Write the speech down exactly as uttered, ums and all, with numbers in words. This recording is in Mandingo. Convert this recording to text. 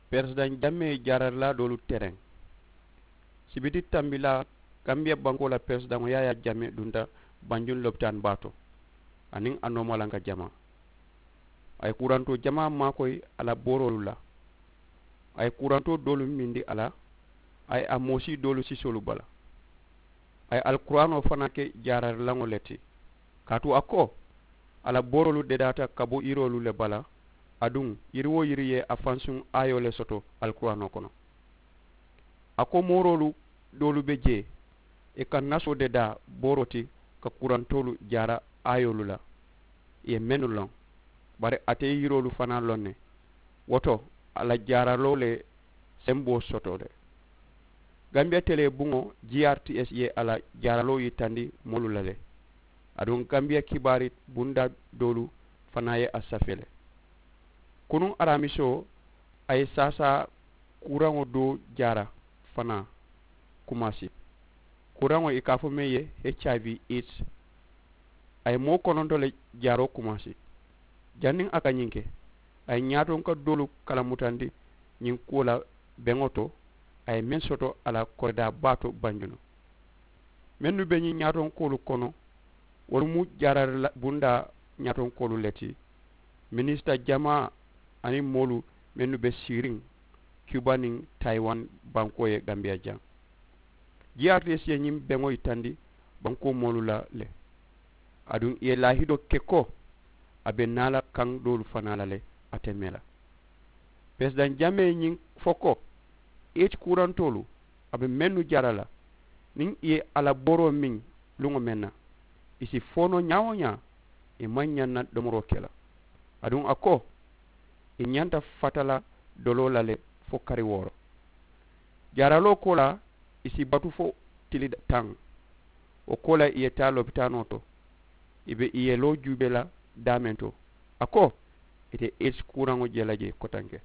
Peresidaŋ jamee jaararilaa doolu tereŋ. Sibiti tambilaa, kambiya bankoo la peresidaŋo yaayaa jamee dunta banjuŋ lopitaani baa to, aniŋ a noomalanka jamaa. A ye kurantoo jamaa maakoyi a la booroolu la. A ye kurantoo doolu mindi a la. A ye a moosii doolu sisoolu bala. A ye alikuraanoo fanaa ke jaararilaŋo le ti. Kaatu a ko, a la booroolu dedaata ka bo yiriolu le bala. Aduŋ yiri wo yiri ye a fansuŋ aayoo le soto alikuraanoo kono. A ko mooroolu doolu be jee, ì ka nasoo dedaa booroo ti ka kurantoolu jaara aayoolu la. Ì ye mennu loŋ, bari ate ye yiriolu fanaa loŋ ne. Wo to, a la jaaraloo le semboo soto le. Gambiya telee buŋo, grts ye a la jaaraloo yitandi moolu la le. Aduŋ gambiya kibaari bundaa doolu fanaa ye a safee le. Kunuŋ araamisoo, a ye saasaa kuraŋo doo jaara fanaa kumaasi. Kuraŋo ì ka a fo meŋ ye, hiv, aids. A ye moo kononto le jaaroo kumaasi. Janniŋ a ka ñiŋ ke, a ye ñaatonka doolu kalamutandi ñiŋ kuwo la beŋo to. A ye meŋ soto a la koridaa baa to banjunu. Mennu be ñiŋ ñaatonkoolu kono, wolu mu jaarari bundaa ñaatonkoolu le ti. Minisita jamaa aniŋ moolu mennu be siiriŋ, kiba niŋ tayiwan bankoo ye gambiya jaŋ. Grts ye ñiŋ beŋo yitandi bankoo moolu la le. Aduŋ ì ye laahidoo ke ko, a be naa la kaŋ doolu fanaa la le. Ate mee la peresidaŋ jamee ye ñiŋ fo ko, hiv kurantoolu, a be mennu jaara la, niŋ ì ye a la booroo miŋ luŋo meŋ na, ì si fo noo ñaa-wo-ñaa, ì maŋ ñaŋ na domoroo ke la. Aduŋ a ko, ì ñanta fata la doloo la le fo kari wooro. Jaaraloo koolaa, ì si batu fo tili taŋ. Wo koolaa ì ye taa lopitaanoo to, ì be ì ye loo juubee la daameŋ to. A ko, ì te hiv kuuraŋo je la jee kotanke.